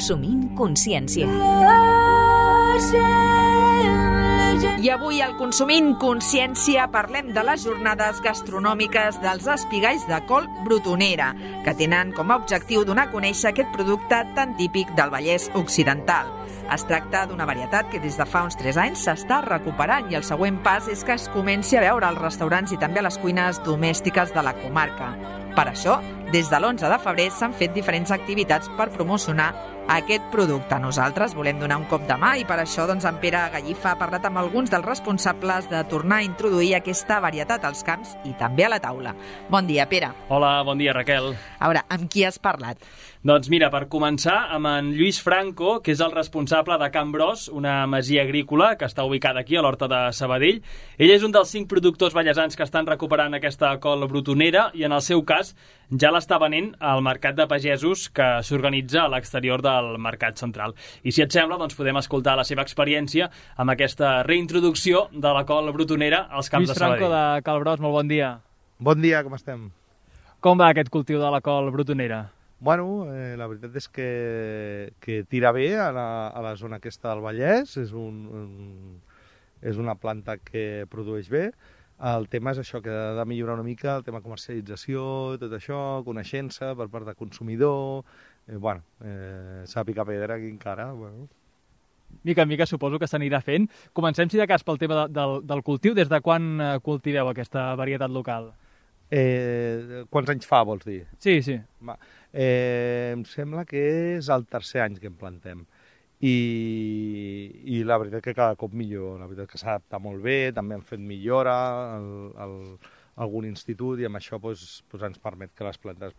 Consumint Consciència. I avui al Consumint Consciència parlem de les jornades gastronòmiques dels espigalls de col brutonera, que tenen com a objectiu donar a conèixer aquest producte tan típic del Vallès Occidental. Es tracta d'una varietat que des de fa uns 3 anys s'està recuperant i el següent pas és que es comenci a veure als restaurants i també a les cuines domèstiques de la comarca. Per això, des de l'11 de febrer s'han fet diferents activitats per promocionar aquest producte. Nosaltres volem donar un cop de mà i per això en Pere Gallifa ha parlat amb alguns dels responsables de tornar a introduir aquesta varietat als camps i també a la taula. Bon dia, Pere. Hola, bon dia, Raquel. A veure, amb qui has parlat? Doncs mira, per començar, amb en Lluís Franco, que és el responsable de Can Bros, una masia agrícola que està ubicada aquí a l'Horta de Sabadell. Ell és un dels 5 productors vallesans que estan recuperant aquesta col brutonera i en el seu cas ja l'està venent al Mercat de Pagesos que s'organitza a l'exterior del Mercat Central. I si et sembla, doncs podem escoltar la seva experiència amb aquesta reintroducció de la col brutonera als camps de Sabadell. Lluís Franco de Can Bros, molt bon dia. Bon dia, com estem? Com va aquest cultiu de la col brutonera? Bueno, la veritat és que tira bé a la zona aquesta del Vallès, és una planta que produeix bé. El tema és això, que ha de millorar una mica el tema comercialització, tot això, coneixença per part de consumidor, s'ha de picar pedra aquí encara. Bueno. Mica en mica suposo que s'anirà fent. Comencem, si de cas, pel tema del cultiu. Des de quan cultiveu aquesta varietat local? Quants anys fa, vols dir? Sí. Em sembla que és el 3è any que en plantem. I la veritat que cada cop millor. La veritat que s'adapta molt bé, també han fet millora algun institut i amb això ens permet que les plantes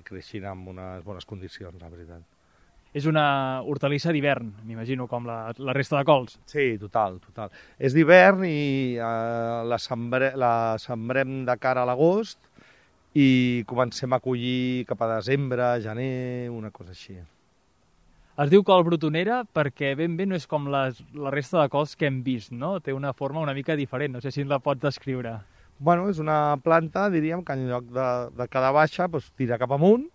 creixin en unes bones condicions, la veritat. És una hortalissa d'hivern, m'imagino, com la resta de cols. Sí, total. És d'hivern i la sembrem de cara a l'agost i comencem a collir cap a desembre, gener, una cosa així. Es diu col brutonera perquè ben bé no és com la resta de cols que hem vist, no? Té una forma una mica diferent, no sé si ens la pots descriure. Bueno, és una planta, diríem, que en lloc de quedar baixa, tira cap amunt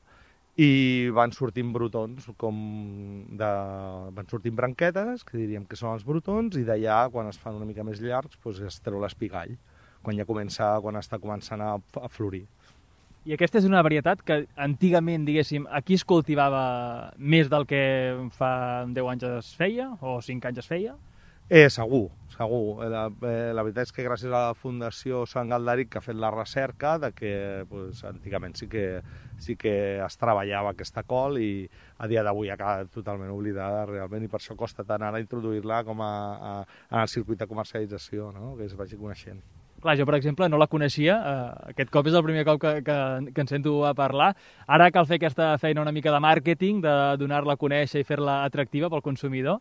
i van sortint brotons, van sortint branquetes, que diríem que són els brotons, i d'allà, quan es fan una mica més llargs, es treu l'espigall, quan està començant a florir. I aquesta és una varietat que antigament, diguéssim, aquí es cultivava més del que fa 10 anys es feia, o 5 anys es feia? Segur. La veritat és que gràcies a la Fundació Sant Galderic que ha fet la recerca de que antigament sí que es treballava aquesta col i a dia d'avui ha quedat totalment oblidada realment i per això costa tant ara introduir-la com en el circuit de comercialització, no? Que es vagi coneixent. Clar, jo, per exemple, no la coneixia. Aquest cop és el primer cop que en sento a parlar. Ara cal fer aquesta feina una mica de màrqueting, de donar-la a conèixer i fer-la atractiva pel consumidor.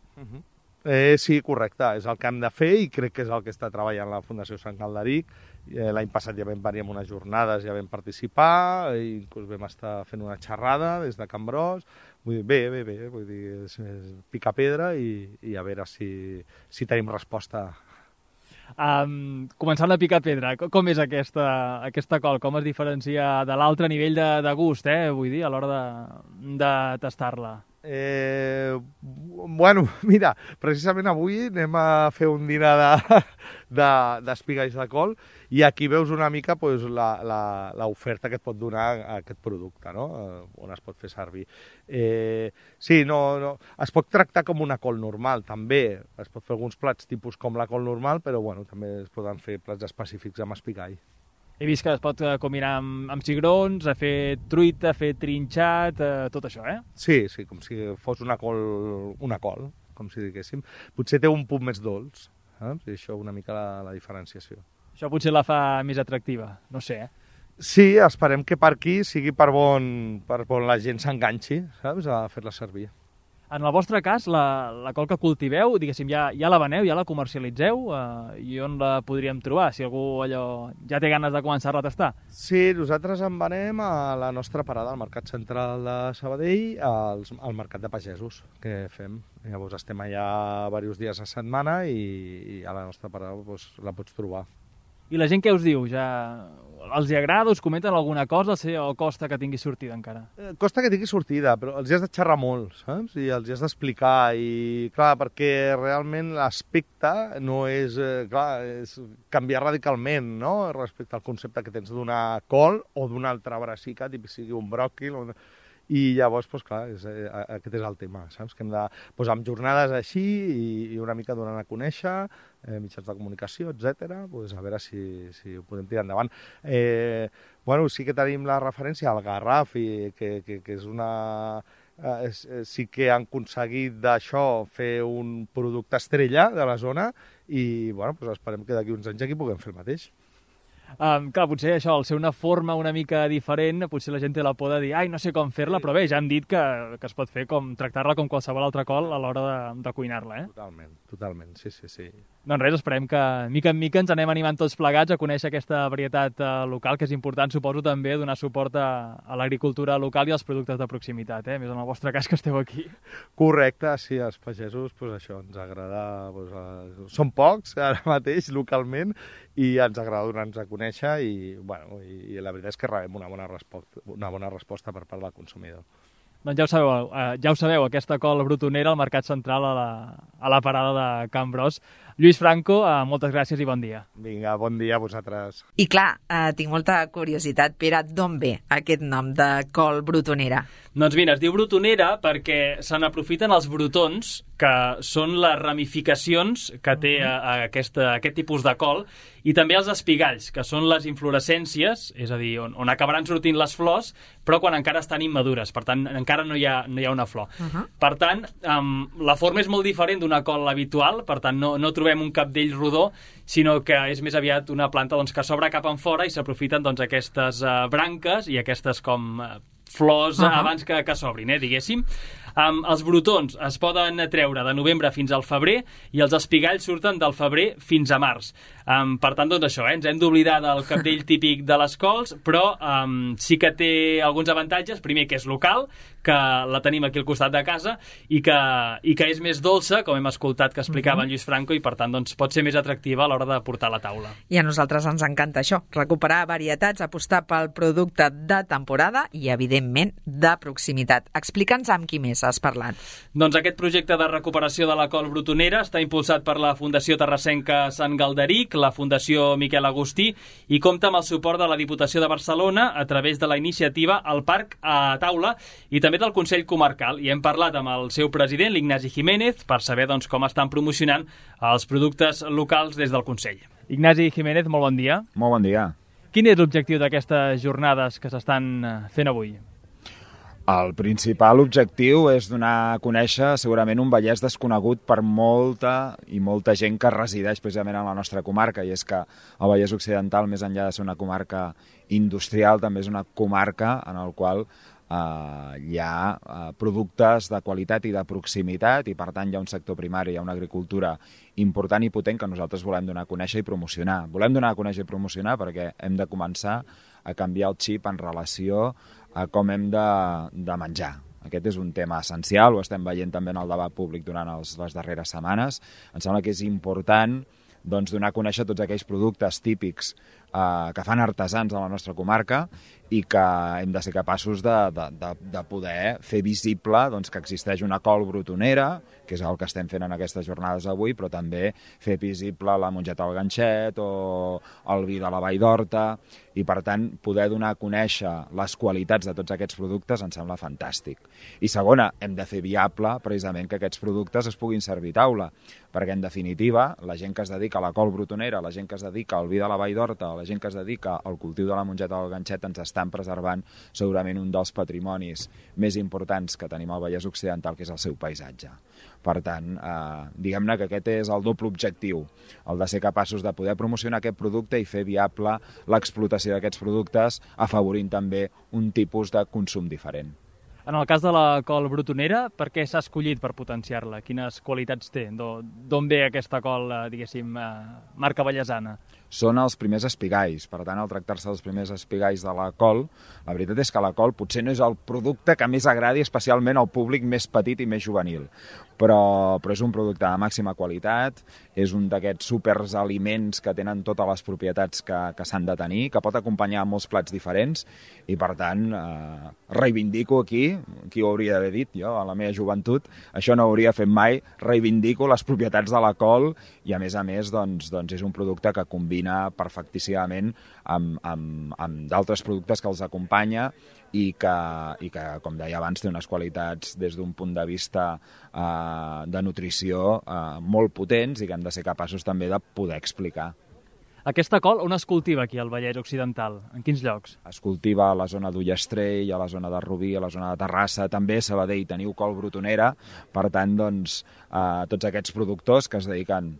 Sí, correcte. És el que hem de fer i crec que és el que està treballant la Fundació Sant Galderic. L'any passat ja vam venir amb unes jornades, ja vam participar, i inclús vam estar fent una xerrada des de Can Bros. Vull dir, bé. Vull dir, és picar pedra i a veure si tenim resposta. Començant a picar pedra, com és aquesta col? Com es diferencia de l'altre nivell de gust, vull dir, a l'hora de tastar-la? Mira, precisament avui anem a fer un dinar d'espigalls de col i aquí veus una mica l'oferta que et pot donar aquest producte, no? On es pot fer servir. Sí, no, es pot tractar com una col normal, també. Es pot fer alguns plats tipus com la col normal, però també es poden fer plats específics amb espigall. He vist que es pot combinar amb cigrons, a fer truita, a fer trinxat, tot això, Sí, com si fos una col, com si diguéssim. Potser té un punt més dolç, i això una mica la diferenciació. Això potser la fa més atractiva, no sé, Sí, esperem que per aquí sigui per on la gent s'enganxi, saps, a fer-la servir. En el vostre cas, la col que cultiveu, diguéssim, ja la veneu, ja la comercialitzeu, i on la podríem trobar, si algú ja té ganes de començar-la a tastar? Sí, nosaltres en venem a la nostra parada al Mercat Central de Sabadell, al Mercat de Pagesos que fem. Llavors estem allà diversos dies a setmana i a la nostra parada la pots trobar. I la gent què us diu? Ja els hi agrada, us comenten alguna cosa o costa que tingui sortida encara? Costa que tingui sortida, però els hi has de xerrar molt, saps? I els hi has d'explicar, i clar, perquè realment l'aspecte no és, és canviar radicalment, no?, respecte al concepte que tens d'una col o d'una altra brassica, tipus sigui un bròquil, i llavors, doncs, clar, aquest és el tema, saps? Que hem de posar amb jornades així i una mica donant a conèixer, mitjans de comunicació, etc. Doncs a veure si ho podem tirar endavant. Bueno, sí que tenim la referència al Garraf, que és una... sí que han aconseguit d'això fer un producte estrella de la zona i, bueno, doncs esperem que d'aquí uns anys aquí puguem fer el mateix. Clar, potser això, al ser una forma una mica diferent, potser la gent té la por de dir ai, no sé com fer-la, però bé, ja hem dit que es pot fer com tractar-la com qualsevol altra col a l'hora de cuinar-la, Totalment, sí. Doncs res, esperem que mica en mica ens anem animant tots plegats a conèixer aquesta varietat local, que és important, suposo, també donar suport a l'agricultura local i als productes de proximitat, més en el vostre cas que esteu aquí. Correcte, sí, els pagesos, doncs això, ens agrada... Són pocs, ara mateix, localment, i ens agrada donar-nos a conèixer i, bueno, i la veritat és que rebem una bona resposta per part del consumidor. Doncs ja ho sabeu, aquesta col brutonera al Mercat Central a la parada de Can Bros. Lluís Franco, moltes gràcies i bon dia. Vinga, bon dia a vosaltres. I clar, tinc molta curiositat, Pere, d'on ve aquest nom de col brutonera? Doncs mira, es diu brutonera perquè se n'aprofiten els brotons, que són les ramificacions que té aquest tipus de col, i també els espigalls, que són les inflorescències, és a dir, on acabaran sortint les flors, però quan encara estan immadures, per tant, encara no hi ha una flor. Per tant, la forma és molt diferent d'una col habitual, per tant, no trobem un capdell rodó, sinó que és més aviat una planta que s'obre cap en fora i s'aprofiten aquestes branques i aquestes com flors abans que s'obrin, diguéssim. Els brotons es poden treure de novembre fins al febrer i els espigalls surten del febrer fins a març. Per tant, doncs això, ens hem d'oblidar del capdell típic de les cols, però sí que té alguns avantatges. Primer, que és local, que la tenim aquí al costat de casa i que és més dolça, com hem escoltat que explicava en Lluís Franco, i per tant doncs, pot ser més atractiva a l'hora de portar a la taula. I a nosaltres ens encanta això, recuperar varietats, apostar pel producte de temporada i, evidentment, de proximitat. Explica'ns amb qui més has parlat. Doncs aquest projecte de recuperació de la col brutonera està impulsat per la Fundació Terrassenca Sant Galderic, la Fundació Miquel Agustí, i compta amb el suport de la Diputació de Barcelona a través de la iniciativa El Parc a Taula i també del Consell Comarcal. I hem parlat amb el seu president, l'Ignasi Jiménez, per saber com estan promocionant els productes locals des del Consell. Ignasi Jiménez, molt bon dia. Molt bon dia. Quin és l'objectiu d'aquestes jornades que s'estan fent avui? El principal objectiu és donar a conèixer segurament un Vallès desconegut per molta gent que resideix precisament en la nostra comarca, i és que el Vallès Occidental, més enllà de ser una comarca industrial, també és una comarca en el qual hi ha productes de qualitat i de proximitat, i per tant hi ha un sector primari, hi ha una agricultura important i potent que nosaltres volem donar a conèixer i promocionar. Volem donar a conèixer i promocionar perquè hem de començar a canviar el xip en relació a com hem de menjar. Aquest és un tema essencial, ho estem veient també en el debat públic durant les darreres setmanes. Em sembla que és important donar a conèixer tots aquells productes típics que fan artesans a la nostra comarca i que hem de ser capaços de poder fer visible que existeix una col brutonera, que és el que estem fent en aquestes jornades avui, però també fer visible la mongeta al ganxet o el vi de la Vall d'Horta, i per tant poder donar a conèixer les qualitats de tots aquests productes em sembla fantàstic. I segona, hem de fer viable precisament que aquests productes es puguin servir a taula, perquè en definitiva la gent que es dedica a la col brutonera, la gent que es dedica al vi de la Vall d'Horta, la gent que es dedica al cultiu de la mongeta del ganxet ens estan preservant segurament un dels patrimonis més importants que tenim al Vallès Occidental, que és el seu paisatge. Per tant, diguem-ne que aquest és el doble objectiu, el de ser capaços de poder promocionar aquest producte i fer viable l'explotació d'aquests productes, afavorint també un tipus de consum diferent. En el cas de la col brutonera, per què s'ha escollit per potenciar-la? Quines qualitats té? D'on ve aquesta col, diguéssim, marca vallesana? Són els primers espigalls. Per tant, al tractar-se dels primers espigalls de la col, la veritat és que la col potser no és el producte que més agradi especialment al públic més petit i més juvenil. Però és un producte de màxima qualitat, és un d'aquests superaliments que tenen totes les propietats que s'han de tenir, que pot acompanyar molts plats diferents, i per tant reivindico aquí, qui ho hauria d'haver dit jo a la meva joventut, això no ho hauria fet mai, reivindico les propietats de la col i a més doncs és un producte que combina perfectíssimament amb d'altres productes que els acompanya i que, com deia abans, té unes qualitats des d'un punt de vista de nutrició molt potents i que hem de ser capaços també de poder explicar. Aquesta col on es cultiva aquí al Vallès Occidental? En quins llocs? Es cultiva a la zona d'Ullastrell, a la zona de Rubí, a la zona de Terrassa, també a Sabadell teniu col brutonera, per tant, doncs, tots aquests productors que es dediquen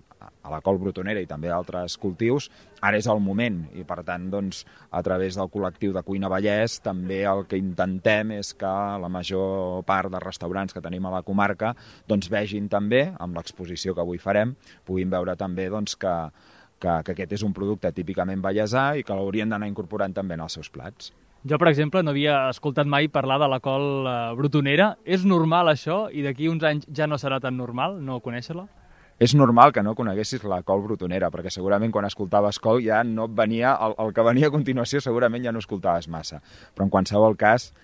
a la col brutonera i també a altres cultius, ara és el moment i per tant doncs, a través del col·lectiu de Cuina Vallès també el que intentem és que la major part de restaurants que tenim a la comarca doncs, vegin també, amb l'exposició que avui farem, puguin veure també doncs, que aquest és un producte típicament vallesà i que l'haurien d'anar incorporant també en els seus plats. Jo, per exemple, no havia escoltat mai parlar de la col brutonera. És normal això i d'aquí uns anys ja no serà tan normal no conèixer-la? És normal que no coneguessis la col brutonera, perquè segurament quan escoltaves col ja no et venia, el que venia a continuació segurament ja no escoltaves massa. Però en qualsevol cas,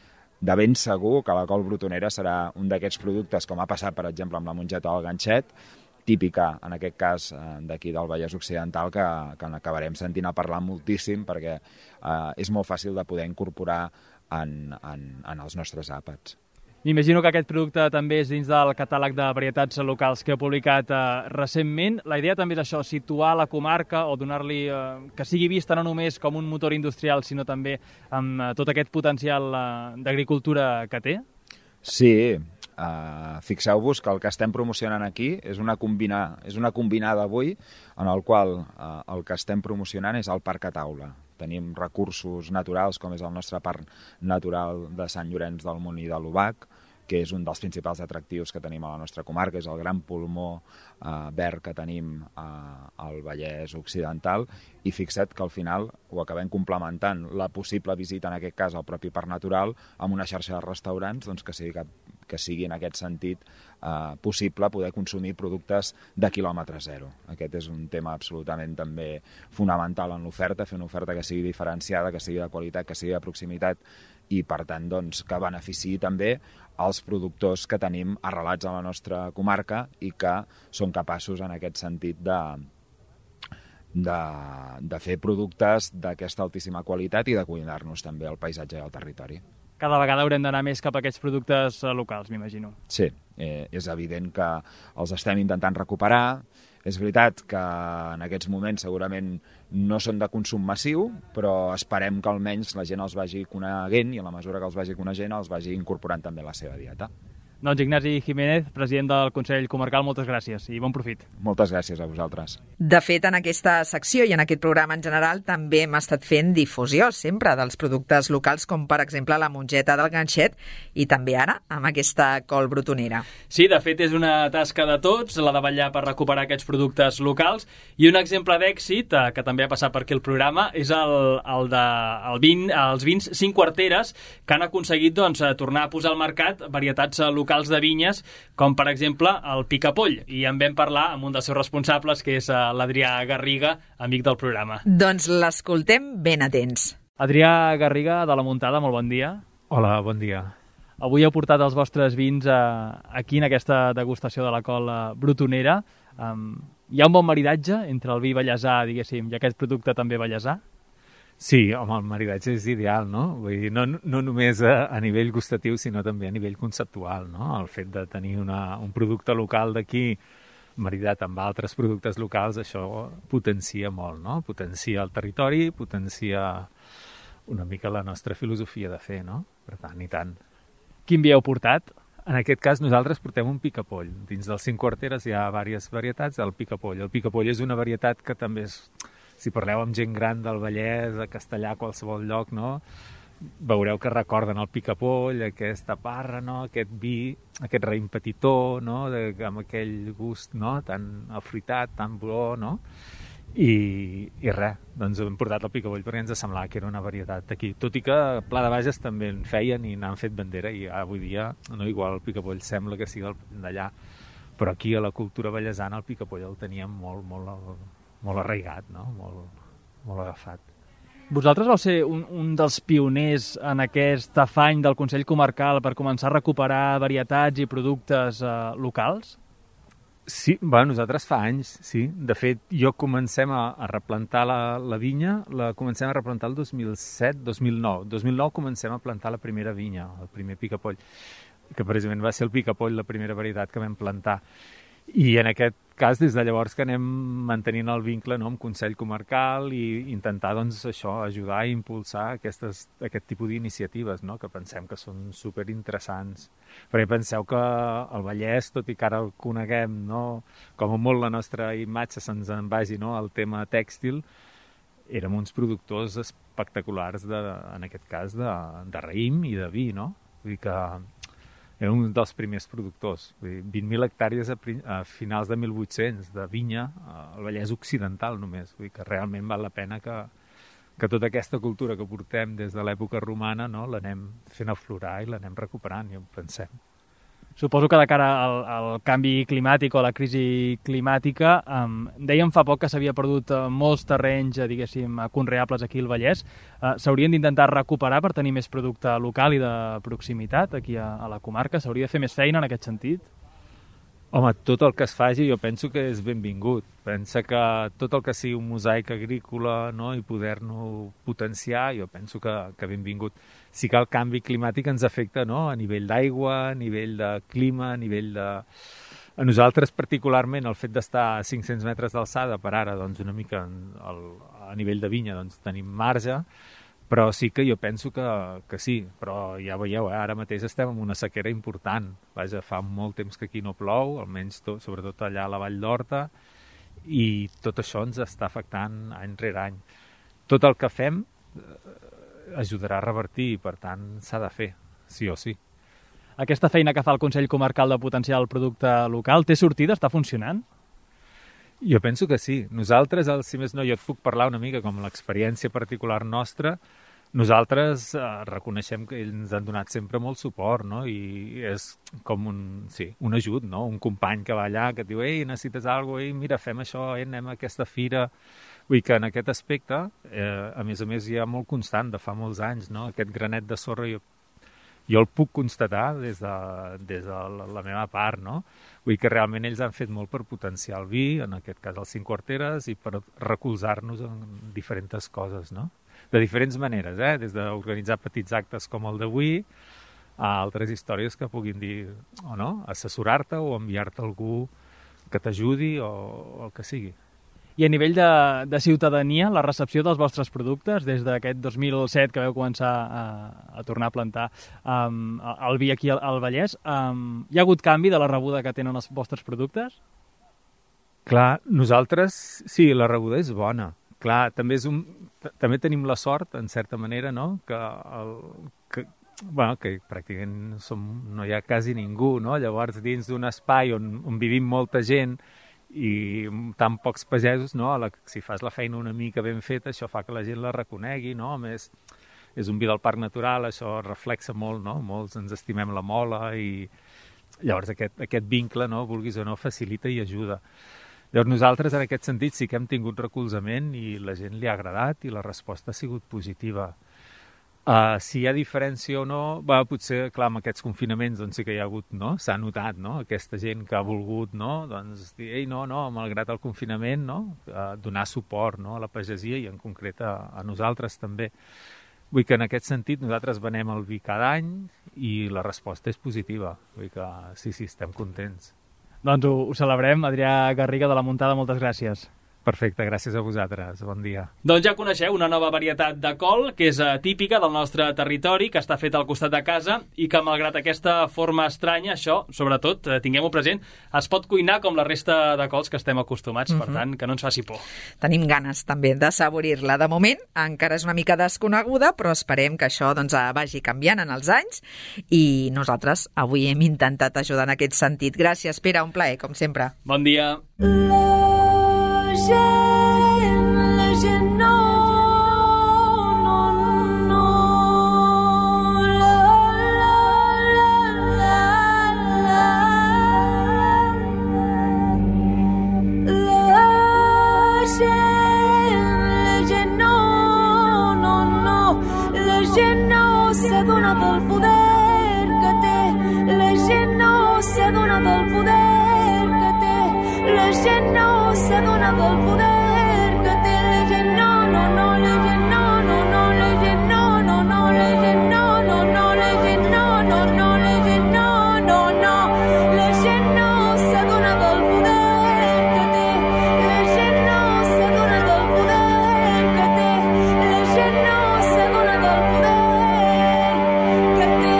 de ben segur que la col brutonera serà un d'aquests productes, com ha passat, per exemple, amb la mongeta del ganxet, típica, en aquest cas, d'aquí del Vallès Occidental, que n'acabarem sentint a parlar moltíssim, perquè és molt fàcil de poder incorporar en els nostres àpats. M'imagino que aquest producte també és dins del catàleg de varietats locals que heu publicat recentment. La idea també és això, situar la comarca o donar-li que sigui vista no només com un motor industrial, sinó també amb tot aquest potencial d'agricultura que té? Sí, fixeu-vos que el que estem promocionant aquí és una combinada avui en el qual el que estem promocionant és el Parc a Taula. Tenim recursos naturals, com és el nostre Parc Natural de Sant Llorenç del Munt i de l'Obac, que és un dels principals atractius que tenim a la nostra comarca, és el gran pulmó verd que tenim al Vallès Occidental, i fixa't que al final ho acabem complementant la possible visita, en aquest cas, al propi Parc Natural, amb una xarxa de restaurants doncs, que sigui en aquest sentit possible poder consumir productes de quilòmetre zero. Aquest és un tema absolutament també fonamental en l'oferta, fer una oferta que sigui diferenciada, que sigui de qualitat, que sigui de proximitat i, per tant, doncs, que beneficiï també els productors que tenim arrelats a la nostra comarca i que són capaços, en aquest sentit, de fer productes d'aquesta altíssima qualitat i de cuidar-nos també el paisatge i el territori. Cada vegada haurem d'anar més cap a aquests productes locals, m'imagino. Sí, és evident que els estem intentant recuperar. És veritat que en aquests moments segurament no són de consum massiu, però esperem que almenys la gent els vagi coneguent i a la mesura que els vagi coneixent els vagi incorporant també a la seva dieta. Doncs Ignasi Jiménez, president del Consell Comarcal, moltes gràcies i bon profit. Moltes gràcies a vosaltres. De fet, en aquesta secció i en aquest programa en general també hem estat fent difusió sempre dels productes locals, com per exemple la mongeta del ganxet i també ara amb aquesta col brutonera. Sí, de fet és una tasca de tots, la de vetllar per recuperar aquests productes locals, i un exemple d'èxit, que també ha passat per aquí el programa, és els vins 5 quarteres que han aconseguit tornar a posar al mercat varietats locals de vinyes, com per exemple el Picapoll, i en vam parlar amb un dels seus responsables, que és l'Adrià Garriga, amic del programa. Doncs l'escoltem ben atents. Adrià Garriga, de la Muntada, molt bon dia. Hola, bon dia. Avui heu portat els vostres vins aquí en aquesta degustació de la col brutonera. Hi ha un bon maridatge entre el vi vallesà, diguéssim, i aquest producte també vallesà? Sí, home, el maridatge és ideal, no? Vull dir, no només a nivell gustatiu, sinó també a nivell conceptual, no? El fet de tenir un producte local d'aquí maridat amb altres productes locals, això potencia molt, no? Potencia el territori, potencia una mica la nostra filosofia de fer, no? Per tant, i tant. Quin vi heu portat? En aquest cas nosaltres portem un picapoll. Dins dels 5 quarteres hi ha diverses varietats del picapoll. El picapoll és una varietat que també és... Si parleu amb gent gran del Vallès, a Castellà, a qualsevol lloc, no? veureu que recorden el picapoll, aquesta parra, no? Aquest vi, aquest raïm petitó, no? Amb aquell gust, no? Tan afruitat, tan bo, no? I res, doncs hem portat el picapoll perquè ens semblava que era una varietat d'aquí. Tot i que a Pla de Bages també en feien i n'han fet bandera i avui dia, no, igual el picapoll sembla que sigui d'allà, però aquí a la cultura vallesana el picapoll el teníem molt arraigat, no? Molt agafat. Vosaltres vau ser un dels pioners en aquest afany del Consell Comarcal per començar a recuperar varietats i productes locals? Sí, nosaltres fa anys, sí. De fet, comencem a replantar la vinya, la comencem a replantar el 2007, 2009. 2009 comencem a plantar la primera vinya, el primer picapoll, que precisament va ser el picapoll la primera varietat que vam plantar. I en aquest cas, des de llavors que anem mantenint el vincle, no, amb Consell Comarcal i intentar, doncs, això, ajudar i impulsar aquest tipus d'iniciatives, no, que pensem que són superinteressants. Perquè penseu que el Vallès, tot i que ara el coneguem, no, com a molt la nostra imatge se'ns en vagi, no, al tema tèxtil, érem uns productors espectaculars, en aquest cas, de raïm i de vi, no? Vull dir que era un dels primers productors. 20.000 hectàrees a finals de 1800 de vinya al Vallès Occidental només. Vull dir que realment val la pena que tota aquesta cultura que portem des de l'època romana, no, l'anem fent aflorar i l'anem recuperant, ja ho pensem. Suposo que de cara al canvi climàtic o a la crisi climàtica, dèiem fa poc que s'havia perdut molts terrenys, diguéssim, conreables aquí al Vallès. S'haurien d'intentar recuperar per tenir més producte local i de proximitat aquí a la comarca? S'hauria de fer més feina en aquest sentit? Home, tot el que es faci jo penso que és benvingut. Pensa que tot el que sigui un mosaic agrícola, no, i poder-no potenciar, jo penso que benvingut. Sí que el canvi climàtic ens afecta, no, a nivell d'aigua, a nivell de clima, a nivell de... A nosaltres particularment el fet d'estar a 500 metres d'alçada per ara, doncs una mica a nivell de vinya doncs tenim marge, però sí que jo penso que sí, però ja veieu, ara mateix estem en una sequera important. Vaja, fa molt temps que aquí no plou, almenys sobretot allà a la Vall d'Horta, i tot això ens està afectant any rere any. Tot el que fem ajudarà a revertir i, per tant, s'ha de fer, sí o sí. Aquesta feina que fa el Consell Comarcal de potenciar el producte local té sortida? Està funcionant? Jo penso que sí. Nosaltres, si més no, jo et puc parlar una mica com l'experiència particular nostra. Nosaltres reconeixem que ells ens han donat sempre molt suport, no? I és com un ajut, no? Un company que va allà, que et diu, ei, necessites alguna cosa, mira, fem això, anem a aquesta fira. Vull dir que en aquest aspecte, a més, hi ha molt constant de fa molts anys, no? Aquest granet de sorra jo el puc constatar des de la meva part, no? Vull dir que realment ells han fet molt per potenciar el vi, en aquest cas els 5 quarteres, i per recolzar-nos en diferents coses, no? De diferents maneres, des d'organitzar petits actes com el d'avui, a altres històries que puguin dir, o no, assessorar-te o enviar-te algú que t'ajudi o el que sigui. I a nivell de ciutadania, la recepció dels vostres productes, des d'aquest 2007 que vau començar a tornar a plantar el vi aquí al Vallès, hi ha hagut canvi de la rebuda que tenen els vostres productes? Clar, nosaltres, sí, la rebuda és bona. Clar, també tenim la sort, en certa manera, no?, que pràcticament no hi ha quasi ningú, no? Llavors, dins d'un espai on vivim molta gent i tan pocs pagesos, no? Si fas la feina una mica ben feta, això fa que la gent la reconegui, no? A més, és un vi del parc natural, això reflexa molt, no? Molts ens estimem la mola i llavors aquest vincle, no?, vulguis o no, facilita i ajuda. Llavors nosaltres en aquest sentit sí que hem tingut recolzament i la gent li ha agradat i la resposta ha sigut positiva. Si hi ha diferència o no, potser, clar, amb aquests confinaments doncs sí que hi ha hagut, no? S'ha notat, no?, aquesta gent que ha volgut, no?, doncs dir, ei, no, malgrat el confinament, no?, donar suport, no?, a la pagesia i en concret a nosaltres també. Vull que en aquest sentit nosaltres venem el vi cada any i la resposta és positiva. Vull que sí, estem contents. Doncs ho celebrem. Adrià Garriga de la Muntada, moltes gràcies. Perfecte, gràcies a vosaltres. Bon dia. Doncs ja coneixeu una nova varietat de col que és típica del nostre territori, que està feta al costat de casa i que, malgrat aquesta forma estranya, això, sobretot, tinguem-ho present, es pot cuinar com la resta de cols que estem acostumats, per tant, que no ens faci por. Tenim ganes també de saborir-la. De moment, encara és una mica desconeguda, però esperem que això vagi canviant en els anys i nosaltres avui hem intentat ajudar en aquest sentit. Gràcies, Pere, un plaer, com sempre. Bon dia. La gent no, la gent no s'adona del poder que té, la gent no s'adona del poder que té, la gent no s'adona del poder que té, la gent no, la gent no, la gent no, la gent no, la gent no, la gent no, la gent no s'adona del poder que té, la gent no s'adona del poder que té, la gent no s'adona del poder que té.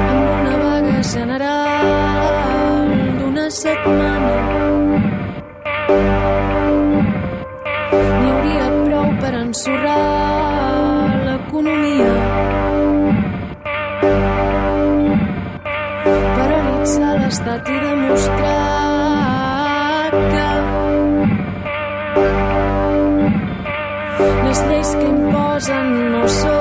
Amb una vaga general d'una setmana n'hi hauria prou per ensorrar l'economia, paralitzar l'estat i demostrar que les lleis que imposen no són